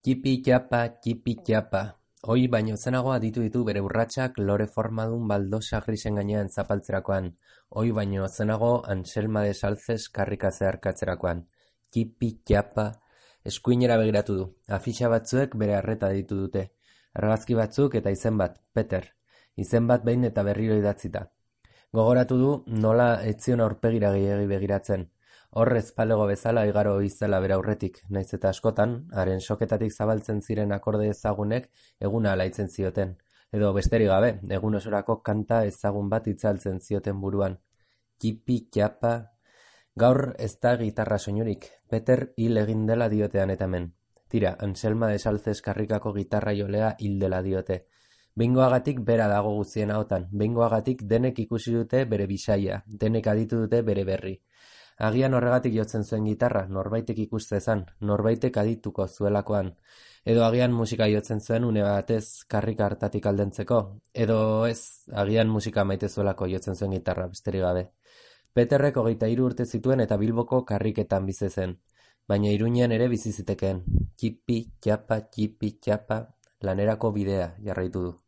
Txipi-txapa. Ohi baino zenago aditu ditu bere urratsak lore formadun baldosa grisen gainean zapaltzerakoan. Ohi baino zenago Anselma de Salces karrika zeharkatzerakoan. Txipi-txapa. Eskuinera begiratu du. Afixa batzuek bere arreta ditu dute. Argazki batzuk eta izen bat, Peter. Izen bat behin eta berriro idatzita. Gogoratu du nola ez zion aurpegira gehiegi begiratzen. Hor ezpalego bezala igaro izela bere aurretik, nahiz eta askotan, haren soketatik zabaltzen ziren akorde ezagunek eguna alaitzen zioten. Edo besterik gabe, egun osorako kanta ezagun bat itzaltzen zioten buruan. Txipi-txapa. Gaur ez da gitarra soinurik, Peter hil egin dela diotean eta hemen. Tira, Anselma de Salces karrikako gitarra jolea hil dela diote. Behingoagatik bera dago guztien ahotan, behingoagatik denek ikusi dute bere bisaia, denek aditu dute bere berri. Agian horregatik jotzen zuen gitarra, norbaitek ikustezan, norbaitek adituko zuelakoan. Edo agian musika jotzen zuen une batez karrika hartatik aldentzeko. Edo ez, agian musika maite zuelako jotzen zuen gitarra, besterik gabe. Peterrek 23 urte zituen eta Bilboko karriketan bizi zen. Baina Iruñean ere bizi zitekeen. Txipi-txapa, lanerako bidea jarraitu du.